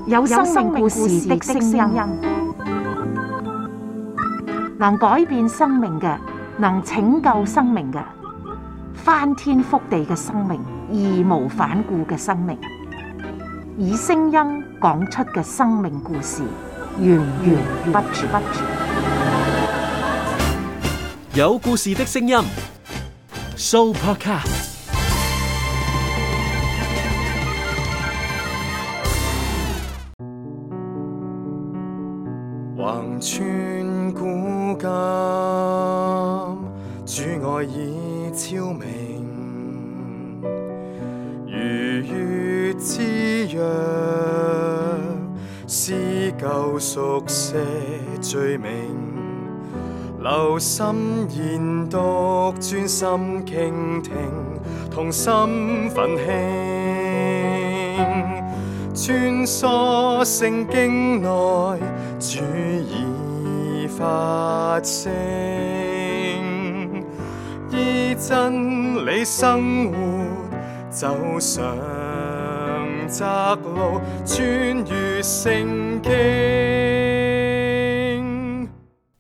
有生命故事的聲音，能改變生命嘅，能拯救生命嘅，翻天覆地嘅生命，義無反顧嘅生命，以聲音講出嘅生命故事，源源不絕。有故事的聲音 ，Sooopodcast。橫穿古今，主愛已超明，如月之約，撕舊熟寫罪名，留心研讀，專心傾聽，同心奮興，穿梭聖經內，主已發聲，依真理生活，走上窄路，穿越聖經。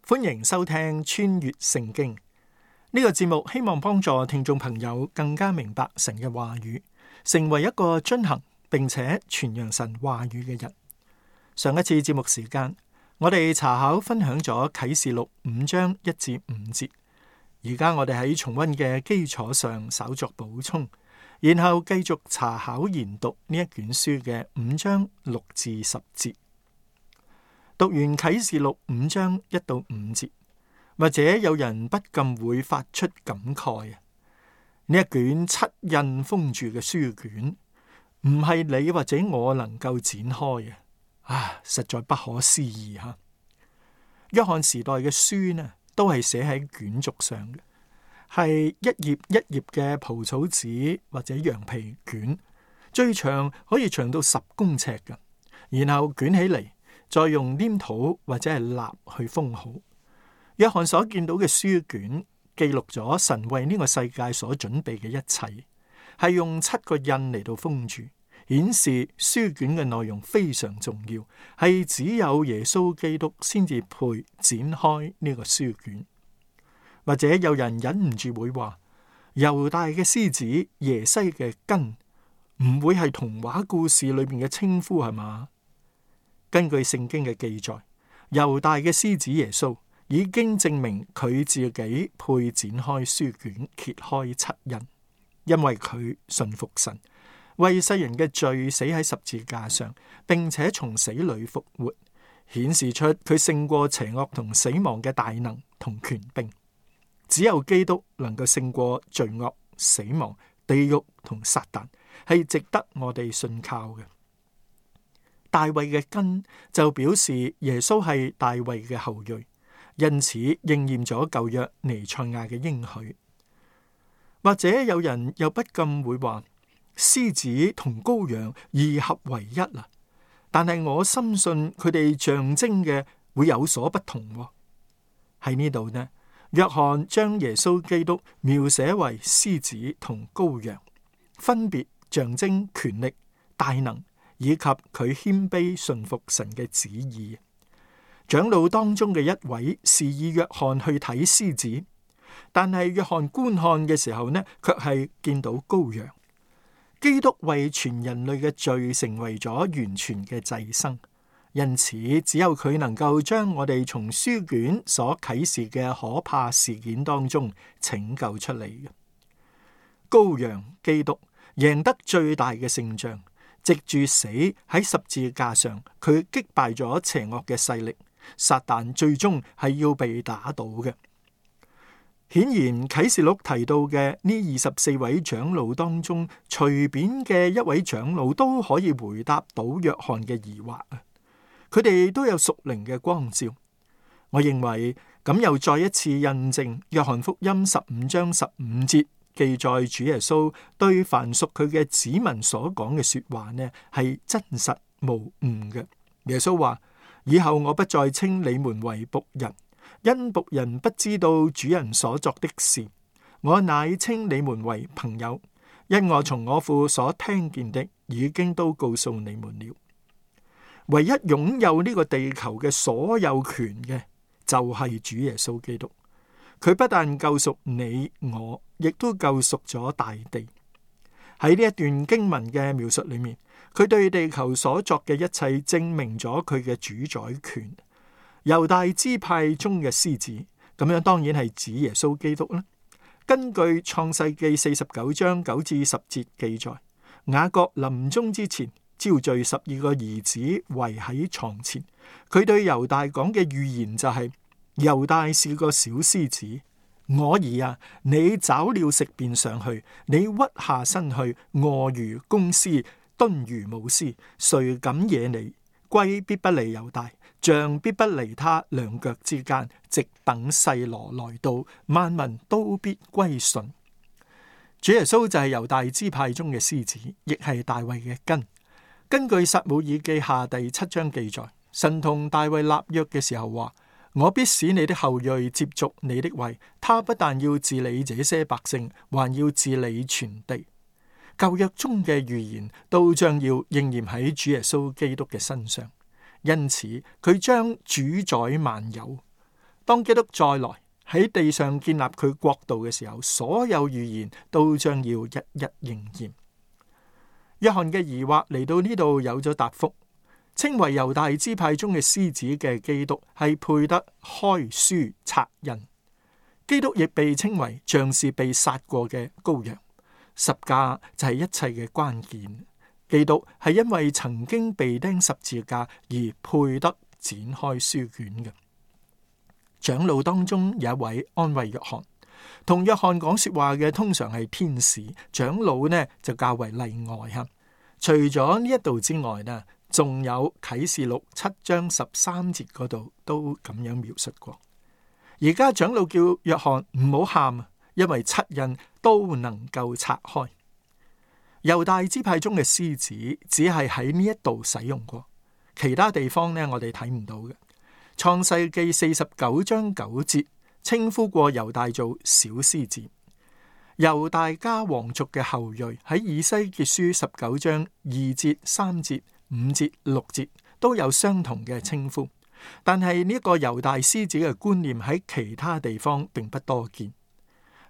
歡迎收聽穿越聖經呢個節目，希望幫助聽眾朋友更加明白神嘅話語，成為一個遵行並且傳揚神話語嘅人。上一次節目時間，我哋查考分享咗啟示錄5章1至5節，而家我哋喺重溫嘅基礎上稍作補充，然後繼續查考研讀呢一卷書嘅5章6至10節。讀完啟示錄5章1到5節，或者有人不禁會發出感慨啊！呢一卷7印封住嘅書卷，唔係你或者我能夠展開啊！實在不可思議吓。約翰時代嘅書呢，都係寫喺卷軸上嘅，係一頁一頁嘅蒲草紙或者羊皮卷，最長可以長到10公尺嘅，然後捲起嚟，再用黏土或者係蠟去封好。約翰所見到嘅書卷記錄咗神為呢個世界所準備嘅一切，係用7個印嚟到封住，顯示書卷嘅內容非常重要，係只有耶穌基督先至配展開呢個書卷。或者有人忍唔住會話，猶大嘅獅子耶西嘅根唔會係童話故事裏面嘅稱呼係嘛？根據聖經嘅記載，猶大嘅獅子耶穌已經證明佢自己配展開書卷，揭開7印，因為佢信服神，為世人嘅罪死喺十字架上，並且從死裏復活，顯示出佢勝過邪惡同死亡嘅大能同權柄。只有基督能夠勝過罪惡、死亡、地獄同撒旦，係值得我哋信靠嘅。大衛嘅根就表示耶穌係大衛嘅後裔，因此應驗咗舊約彌賽亞嘅應許。或者有人又不禁會話，獅子同羔羊二合為一啦，但係我深信佢哋象徵嘅會有所不同。喺呢度呢，約翰將耶穌基督描寫為獅子同羔羊，分別象徵權力、大能以及佢謙卑順服神嘅旨意。長老當中嘅一位示意約翰去睇獅子，但係約翰觀看嘅時候呢，卻係見到羔羊。基督為全人類嘅罪成為咗完全嘅祭牲，因此只有佢能夠將我哋從書卷所啟示嘅可怕事件當中拯救出嚟嘅。羔羊基督贏得最大嘅勝仗，藉住死喺十字架上，佢擊敗咗邪惡嘅勢力，撒旦最終係要被打倒嘅。顯然啟示錄提到嘅呢24位長老當中，隨便嘅一位長老都可以回答到約翰嘅疑惑啊！佢哋都有屬靈嘅光照。我認為咁又再一次印證約翰福音15章15節記載主耶穌對凡屬佢嘅子民所講嘅說話呢，係真實無誤嘅。耶穌話：以後我不再稱你們為僕人，因僕人不知道主人所作的事，我乃稱你們為朋友，因我從我父所聽見的已經都告訴你們了。唯一擁有呢個地球嘅所有權嘅就係主耶穌基督。佢不但救贖你我，亦都救贖咗大地。喺呢一段經文嘅描述裏面，佢對地球所作嘅一切證明咗佢嘅主宰權。猶大支派中嘅獅子，咁樣當然係指耶穌基督啦。根據創世記49章9至10節記載，雅各臨終之前招聚12個兒子圍喺床前，佢對猶大講嘅預言就係、猶大是個小獅子，我兒啊，你找了食便上去，你屈下身去，餓如公獅，蹲如母獅，誰敢惹你？龜必不離猶大，象必不離他兩腳之間，直等細羅來到，萬民都必歸順。主耶穌就係猶大支派中嘅獅子，亦係大衛嘅根。根據撒母耳記下第7章記載，神同大衛立約嘅時候話：我必使你的後裔接續你的位，他不但要治理這些百姓，還要治理全地。舊約中嘅預言都將要應驗喺主耶穌基督嘅身上，因此佢將主宰萬有。當基督再來喺地上建立佢國度嘅時候，所有預言都將要一一應驗。約翰嘅疑惑嚟到呢度有咗答覆，稱為猶大支派中嘅獅子嘅基督係配得開書冊印。基督亦被稱為像是被殺過嘅羔羊。十架就係一切嘅關鍵。基督係因為曾經被釘十字架而配得展開書卷嘅。長老當中有一位安慰約翰，同約翰講說話嘅通常係天使，長老呢就較為例外哈。除咗呢一度之外呢，仲有啟示錄7章13節嗰度都咁樣描述過。而家長老叫約翰唔好喊，因為七印都能夠拆開。猶大支派中嘅獅子只係喺呢一度使用過，其他地方呢我哋睇唔到嘅。創世記49章9節稱呼過猶大做小獅子。猶大家王族嘅後裔喺以西結書19章2節、3節、5節、6節都有相同嘅稱呼，但係呢個猶大獅子嘅觀念喺其他地方並不多見。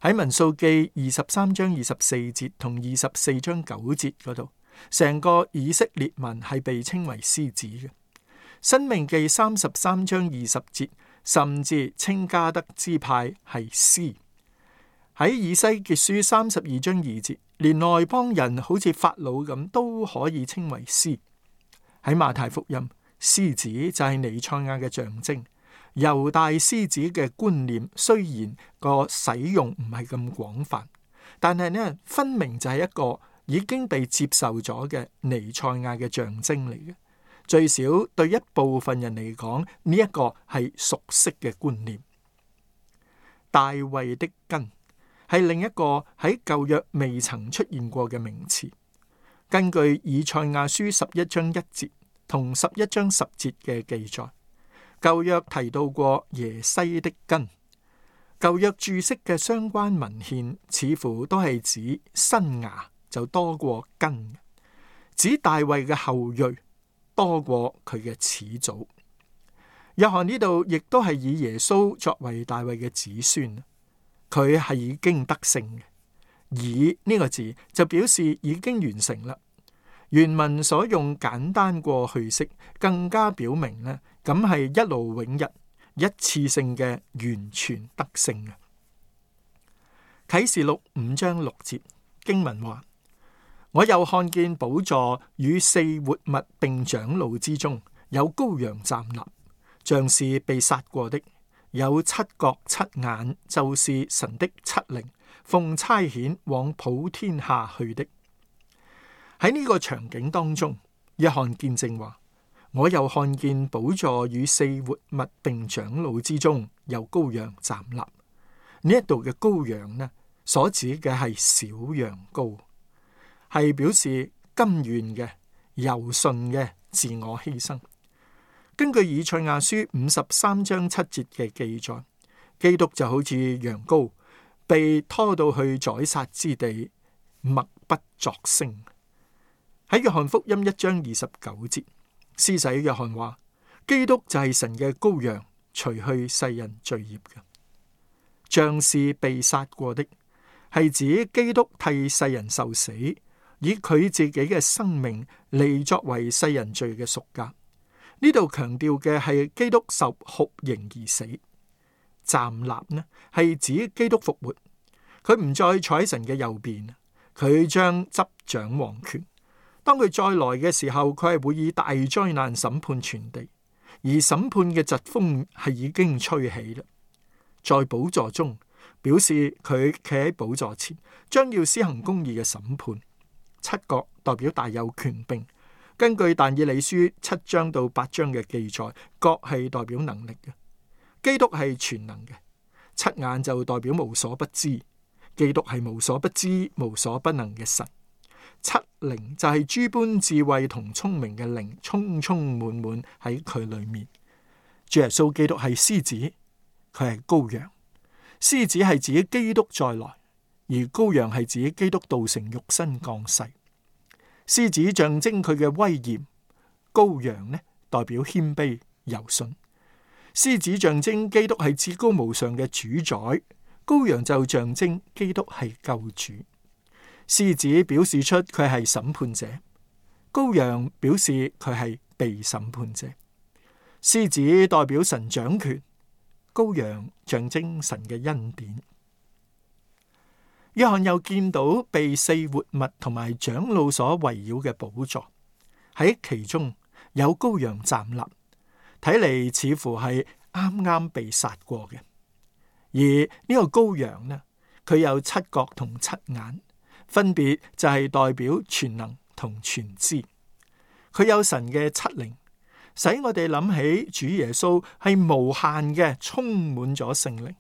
喺民數記23章24節同24章9節嗰度，成個以色列民係被稱為獅子嘅。申命記33章20節甚至稱迦得支派係獅。喺以西結書32章2節，連外邦人好似法老咁都可以稱為獅。喺馬太福音，獅子就係彌賽亞嘅象徵。猶大獅子嘅觀念雖然個使用唔係咁廣泛，但係呢分明就係一個已經被接受咗嘅彌賽亞嘅象徵嚟嘅。最少對一部分人嚟講，呢一個係熟悉嘅觀念。大衛的根係另一個喺舊約未曾出現過嘅名詞。根據以賽亞書11章1節同11章10節嘅記載，舊約提到過耶西的根。舊約注釋嘅相關文獻似乎都係指新芽就多過根，指大衛嘅後裔多過佢嘅始祖。約翰呢度亦都係以耶穌作為大衛嘅子孫。佢係已經得勝嘅，以呢個字就表示已經完成啦。原文所用簡單過去式，更加表明呢，咁係一勞永逸、一次性嘅完全得勝嘅。啟示錄5章6節經文話：我又看見寶座與4活物並長老之中，有羔羊站立，像是被殺過的。有7角7眼，就是神的7靈，奉差遣往普天下去的。喺呢個場景當中，約翰見證話：我又看見寶座與4活物並長老之中，有羔羊站立。呢一度嘅羔羊呢，所指嘅係小羊羔，係表示甘願嘅、柔順嘅自我犧牲。根據以賽亞書53章7節嘅記載，基督就好似羊羔被拖到去宰殺之地，默不作聲。喺約翰福音1章29節，施洗約翰話，基督就係神嘅羔羊，除去世人罪孽嘅。像是被殺過的，係指基督替世人受死，以佢自己嘅生命嚟作為世人罪嘅贖價。呢度強調嘅係基督受酷刑而死。站立呢，係指基督復活，佢唔再坐喺神嘅右邊，佢將執掌王權。當佢再來嘅時候，佢係會以大災難審判全地，而審判嘅疾風係已經吹起啦。在寶座中，表示佢企喺寶座前，將要施行公義嘅審判。七角代表大有權柄，根據但以理書7章到8章嘅記載，角係代表能力嘅。基督係全能嘅，七眼就代表無所不知。基督係無所不知、無所不能嘅神。七靈就係諸般智慧同聰明嘅靈，充充滿滿喺佢裏面。主耶穌基督係獅子，佢係羔羊。獅子係指基督再來，而羔羊係指基督道成肉身降世。獅子象徵佢嘅威嚴，羔羊呢代表謙卑柔順。獅子象徵基督係至高無上嘅主宰，羔羊就象徵基督係救主。獅子表示出佢係審判者，羔羊表示佢係被審判者。獅子代表神掌權，羔羊象徵神嘅恩典。約翰又見到被四活物同埋長老所圍繞嘅寶座，喺其中有羔羊站立，睇嚟似乎係啱啱被殺過嘅。而呢個羔羊呢，佢有七角同七眼，分別就係代表全能同全知。佢有神嘅七靈，使我哋諗起主耶穌係無限嘅充滿咗聖靈，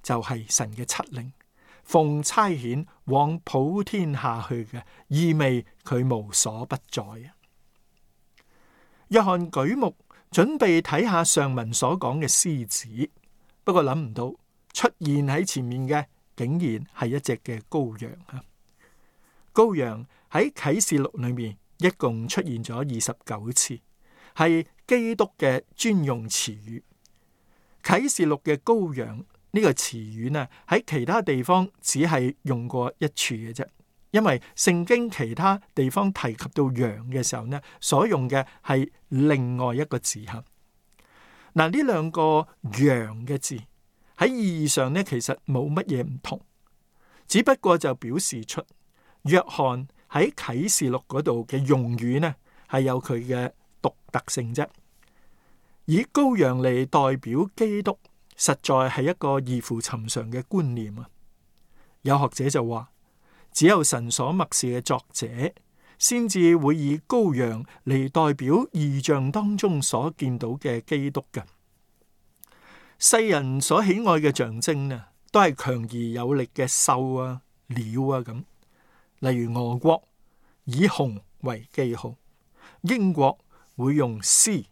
就係神嘅七靈奉差遣往普天下去嘅，意味佢無所不在啊。約翰舉目準備睇下上文所講嘅獅子，不過諗唔到出現喺前面嘅竟然係一隻嘅羔羊啊！羔羊喺啟示錄裏面一共出現咗29次，係基督嘅專用詞語。啟示錄嘅羔羊呢個詞語呢，喺其他地方只係用過一處嘅啫，因為聖經其他地方提及到羊嘅時候呢，所用嘅係另外一個字吓。嗱，呢兩個羊嘅字喺意義上呢，其實冇乜嘢唔同，只不過就表示出約翰喺啟示錄嗰度嘅用語呢，係有佢嘅獨特性啫。以羔羊嚟代表基督，實在係一個異乎尋常嘅觀念啊！有學者就話，只有神所默示嘅作者，先至會以羔羊嚟代表異象當中所見到嘅基督嘅。世人所喜愛嘅象徵呢，都係強而有力嘅獸啊、鳥啊咁。例如俄國以熊為記號，英國會用獅，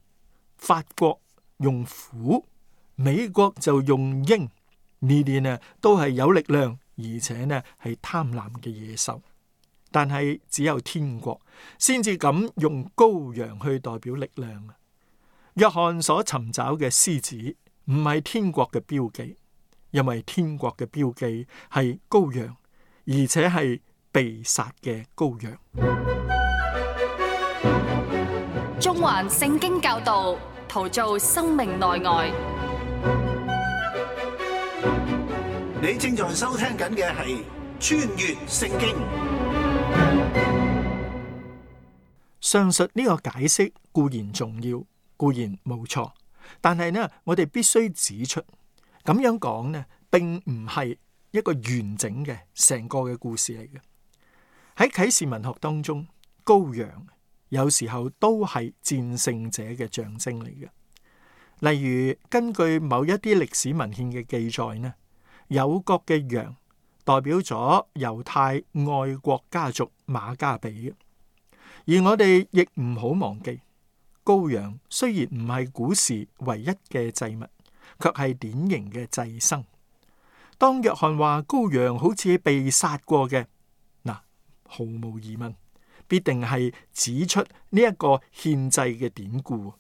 法國用虎，美國就用鷹。呢啲呢都係有力量，而且呢係貪婪嘅野獸。但係只有天國先至敢用羔羊去代表力量啊！約翰所尋找嘅獅子唔係天國嘅標記，因為天國嘅標記係羔羊，而且係被殺嘅羔羊。中環聖經教導，陶造生命內外。你正在收聽緊嘅係穿越聖經。上述呢個解釋固然重要，固然冇錯，但係呢，我哋必須指出，咁樣講呢，並唔係一個完整嘅成個嘅故事嚟嘅。喺啟示文學當中，羔羊有時候都係戰勝者嘅象徵嚟嘅。例如，根據某一啲歷史文獻嘅記載呢，有角嘅羊代表咗猶太愛國家族馬加比。而我哋亦唔好忘記，羔羊雖然唔係古時唯一嘅祭物，卻係典型嘅祭牲。當約翰話羔羊好似被殺過嘅，嗱，毫無疑問，必定係指出呢一個獻祭嘅典故。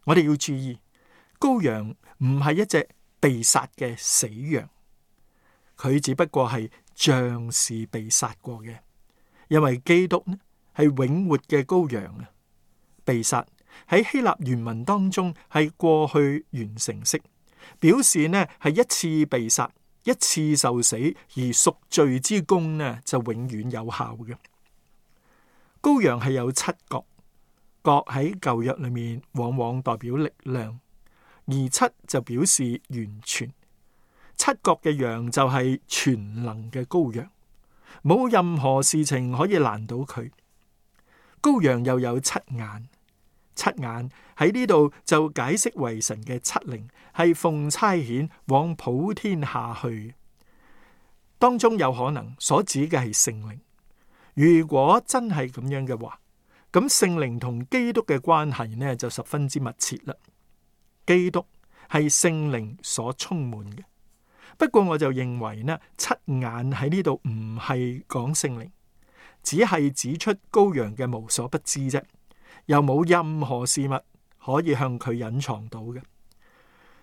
我哋要注意，羔羊唔係一隻被殺嘅死羊，佢只不過係像是被殺過嘅，因為基督呢係永活嘅羔羊啊。被殺喺希臘原文當中係過去完成式，表示呢係一次被殺，一次受死，而贖罪之功呢就永遠有效嘅。羔羊係有七角，角喺舊約裏面往往代表力量，而七就表示完全。七角嘅羊就係全能嘅羔羊，冇任何事情可以難倒佢。羔羊又有七眼，七眼喺呢度就解釋為神嘅七靈，係奉差遣往普天下去。當中有可能所指嘅係聖靈。如果真係咁樣嘅話，咁聖靈同基督嘅關係呢就十分之密切啦。基督係聖靈所充滿嘅。不過我就認為呢，七眼喺呢度唔係講聖靈，只係指出羔羊嘅無所不知啫，又冇任何事物可以向佢隱藏到嘅。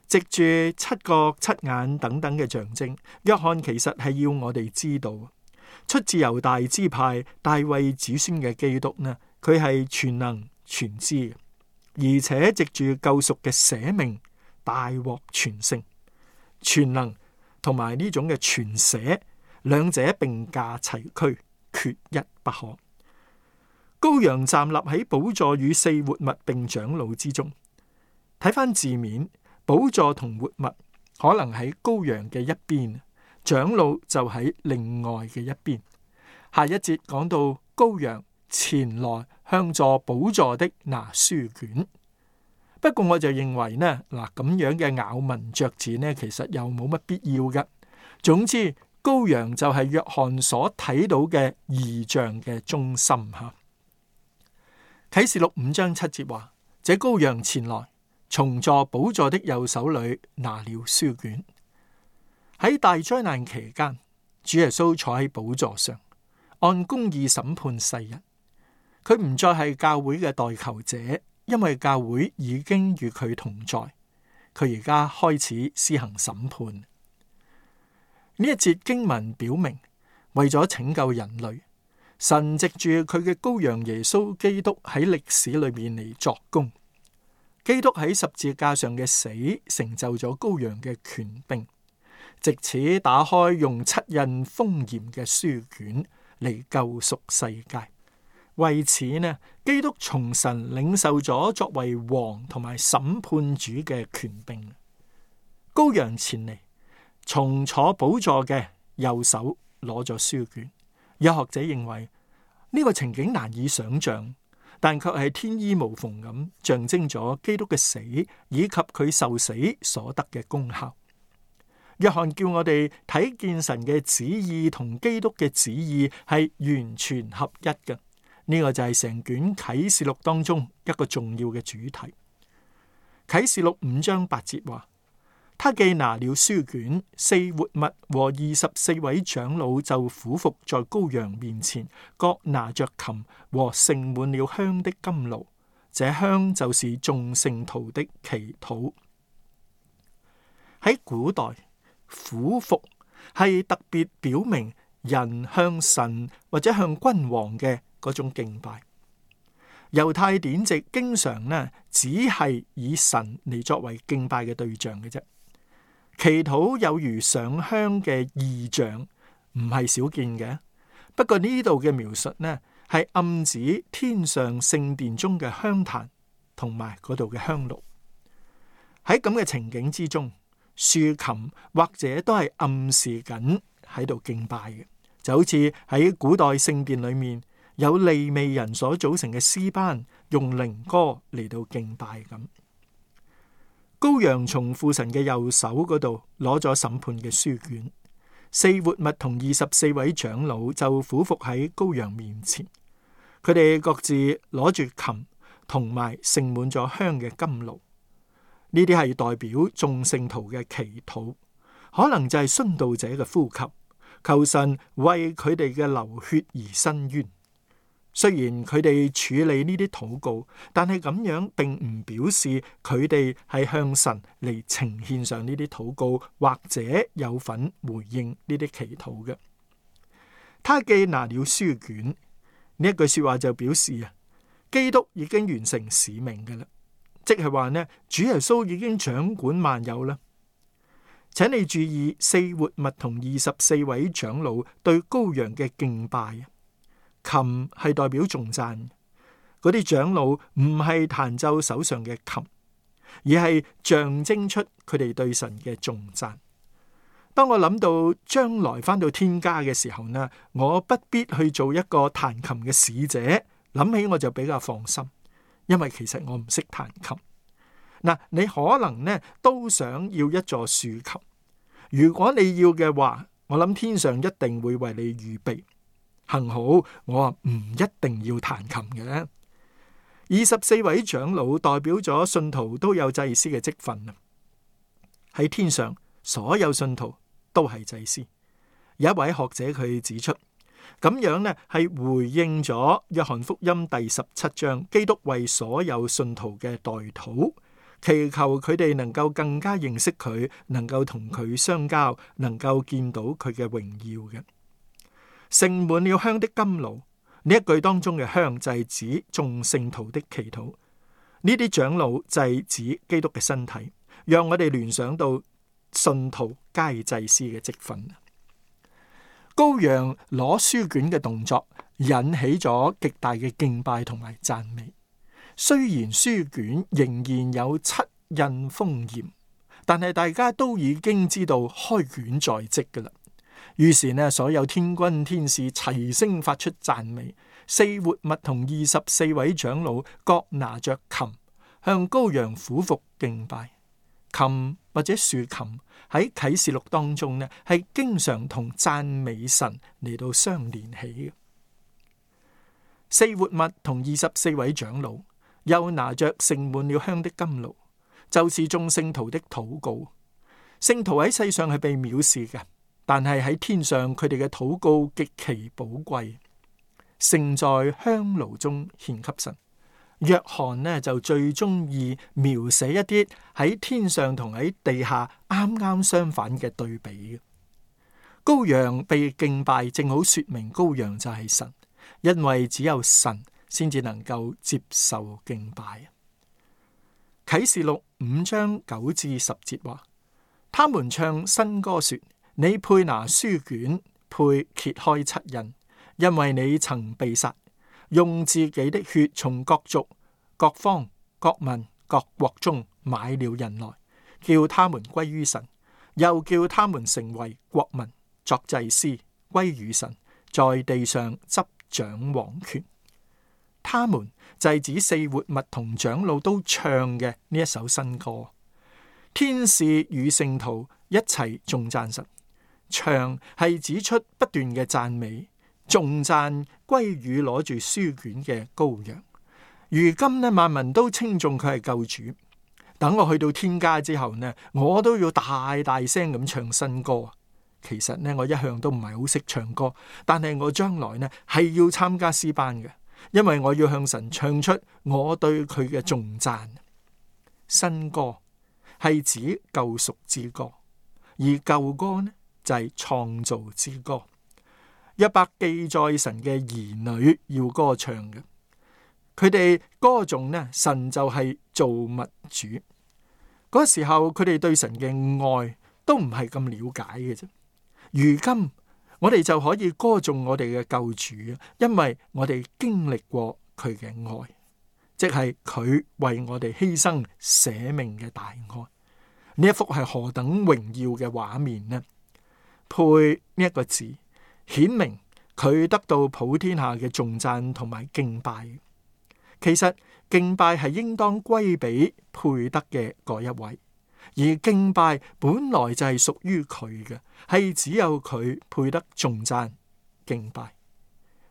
藉住七角、七眼等等嘅象徵，約翰其實係要我哋知道，出自猶大支派大衛子孫嘅基督呢，佢係全能全知嘅，而且藉住救贖嘅捨命，大獲全勝。全能同埋呢種嘅全捨，兩者並駕齊驅，缺一不可。羔羊站立喺寶座與四活物並長老之中。睇翻字面，寶座同活物可能喺羔羊嘅一邊，長老就喺另外嘅一邊。下一節講到羔羊前來向坐寶座的拿書卷。不過我就認為呢，嗱咁樣嘅咬文嚼字呢，其實又冇乜必要嘅。總之，羔羊就係約翰所睇到嘅異象嘅中心吓。啟示錄5章7節話：這羔羊前來，從坐寶座的右手裏拿了書卷。喺大災難期間，主耶穌坐喺寶座上，按公義審判世人。佢唔再係教會嘅代求者。因為教會已經與佢同在，佢而家開始施行審判。呢一節經文表明，為咗拯救人類，神藉住佢嘅羔羊耶穌基督喺歷史裏面嚟作工。基督喺十字架上嘅死，成就咗羔羊嘅權柄，藉此打開用七印封嚴嘅書卷嚟救贖世界。為此呢，基督從神領受咗作為王同埋審判主嘅權柄。羔羊前嚟，從坐寶座嘅右手攞咗書卷。有學者認為呢個情景難以想象，但卻係天衣無縫咁象徵咗基督嘅死以及佢受死所得嘅功效。約翰叫我哋睇見神嘅旨意同基督嘅旨意係完全合一嘅。呢個就係成卷啟示錄當中一個重要嘅主題。啟示錄5章8節話：他既拿了書卷，四活物和24位長老就俯伏在羔羊面前，各拿着琴和盛滿了香的甘露，這香就是眾聖徒的祈禱。喺古代，俯伏係特別表明人向神或者向君王嘅嗰種敬拜。猶太典籍經常呢只係以神嚟作為敬拜嘅對象嘅啫。祈禱有如上香嘅異象，唔係少見嘅。不過呢度嘅描述呢係暗指天上聖殿中嘅香壇同埋嗰度嘅香爐。喺咁嘅情景之中，豎琴或者都係暗示緊喺度敬拜嘅，就好似喺古代聖殿裏面有利未人所組成嘅詩班，用靈歌嚟到敬拜咁。羔羊從父神嘅右手嗰度攞咗審判嘅書卷，四活物同24位長老就俯伏喺羔羊面前，佢哋各自攞住琴同埋盛滿咗香嘅甘露，呢啲係代表眾聖徒嘅祈禱，可能就係殉道者嘅呼求，求神為佢哋嘅流血而伸冤。雖然佢哋處理呢啲禱告，但係咁樣並唔表示佢哋係向神嚟呈獻上呢啲禱告，或者有份回應呢啲祈禱嘅。他既拿了書卷，呢一句說話就表示基督已經完成使命嘅啦，即係話呢，主耶穌已經掌管萬有啦。請你注意四活物同24位長老對羔羊嘅敬拜。琴係代表頌讚，嗰啲長老唔係彈奏手上嘅琴，而係象徵出佢哋對神嘅頌讚。當我諗到將來返到天家嘅時候呢，我不必去做一個彈琴嘅使者，諗起我就比較放心，因為其實我唔識彈琴。嗱，你可能呢都想要一座豎琴，如果你要嘅話，我諗天上一定會為你預備。幸好我唔一定要彈琴嘅。24位長老代表咗信徒都有祭司嘅職分啊。喺天上，所有信徒都係祭司。有一位學者佢指出，咁樣呢係回應咗約翰福音第17章，基督為所有信徒嘅代禱，祈求佢哋能夠更加認識佢，能夠同佢相交，能夠見到佢嘅榮耀嘅。盛滿了香的甘露，呢一句當中嘅香就係指眾聖徒的祈禱。呢啲長老就係指基督嘅身體，讓我哋聯想到信徒皆祭司嘅職分。羔羊攞書卷嘅動作引起咗極大嘅敬拜同埋讚美。雖然書卷仍然有七印封嚴，但係大家都已經知道開卷在即噶啦。於是呢，所有天軍天使齊聲發出讚美，四活物同24位長老各拿着琴，向羔羊俯伏敬拜。琴或者豎琴喺啟示錄當中呢，係經常同讚美神嚟到相連起嘅。四活物同24位長老又拿着盛滿了香的甘露，就是眾聖徒的禱告。聖徒喺世上係被藐視嘅，但係喺天上佢哋嘅禱告極其寶貴，盛在香爐中獻給神。約翰呢就最中意描寫一啲喺天上同喺地下啱啱相反嘅對比。羔羊被敬拜，正好說明羔羊就係神，因為只有神先至能夠接受敬拜。啟示錄5章9至10節話，他們唱新歌說，你配拿書卷，配揭開七印，因為你曾被殺，用自己的血從各族、各方、各民、各國中買了人來，叫他們歸於神，又叫他們成為國民，作祭司，歸於神，在地上執掌王權。他們就係指四活物同長老都唱嘅呢一首新歌。天使與聖徒一齊頌讚神，唱係指出不斷嘅讚美，頌讚歸於攞住書卷嘅羔羊。如今呢，萬民都稱頌佢係救主。等我去到天家之後呢，我都要大大聲咁唱新歌。其實呢，我一向都唔係好識唱歌，但係我將來呢係要參加詩班嘅，因為我要向神唱出我對佢嘅頌讚。新歌係指救贖之歌，而舊歌呢就係創造之歌。約伯記載神嘅兒女要歌唱嘅。佢哋歌頌呢，神就係造物主。嗰時候佢哋對神嘅愛都唔係咁了解嘅啫。如今我哋就可以歌頌我哋嘅救主，因為我哋經歷過佢嘅愛，即係佢為我哋犧牲捨命嘅大愛。呢一幅係何等榮耀嘅畫面呢？配呢一個字，顯明佢得到普天下嘅頌讚同埋敬拜。其實敬拜係應當歸俾配得嘅嗰一位，而敬拜本來就係屬於佢嘅，係只有佢配得頌讚敬拜。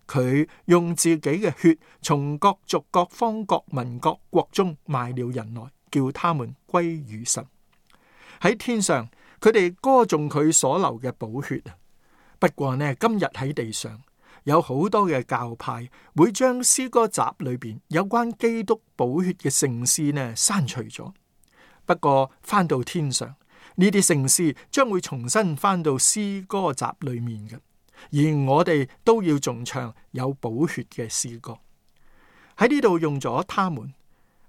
佢用自己嘅血從各族、各方、各民、各國中買了人來，叫他們歸於神。喺天上，佢哋歌頌佢所流嘅寶血。不過呢，今日喺地上，有好多嘅教派會將詩歌集裏邊有關基督寶血嘅聖詩呢刪除咗。不過翻到天上，呢啲聖詩將會重新翻到詩歌集裏面嘅，而我哋都要重唱有寶血嘅詩歌。喺呢度用咗他們，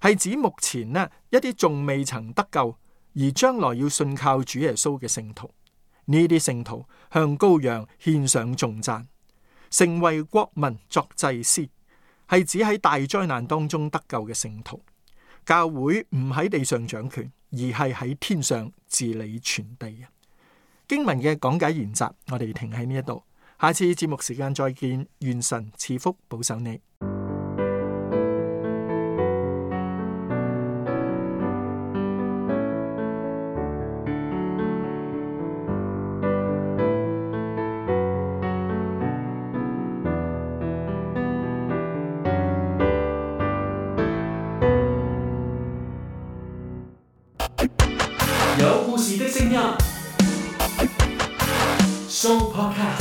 係指目前呢一啲仲未曾得救，而將來要信靠主耶穌嘅聖徒。呢啲聖徒向羔羊獻上頌讚，成為國民作祭司，係指喺大災難當中得救嘅聖徒。教會唔喺地上掌權，而係喺天上治理全地啊！經文嘅講解研習，我哋停喺呢一度，下次節目時間再見，願神賜福保守你。有故事的聲音 Show Podcast。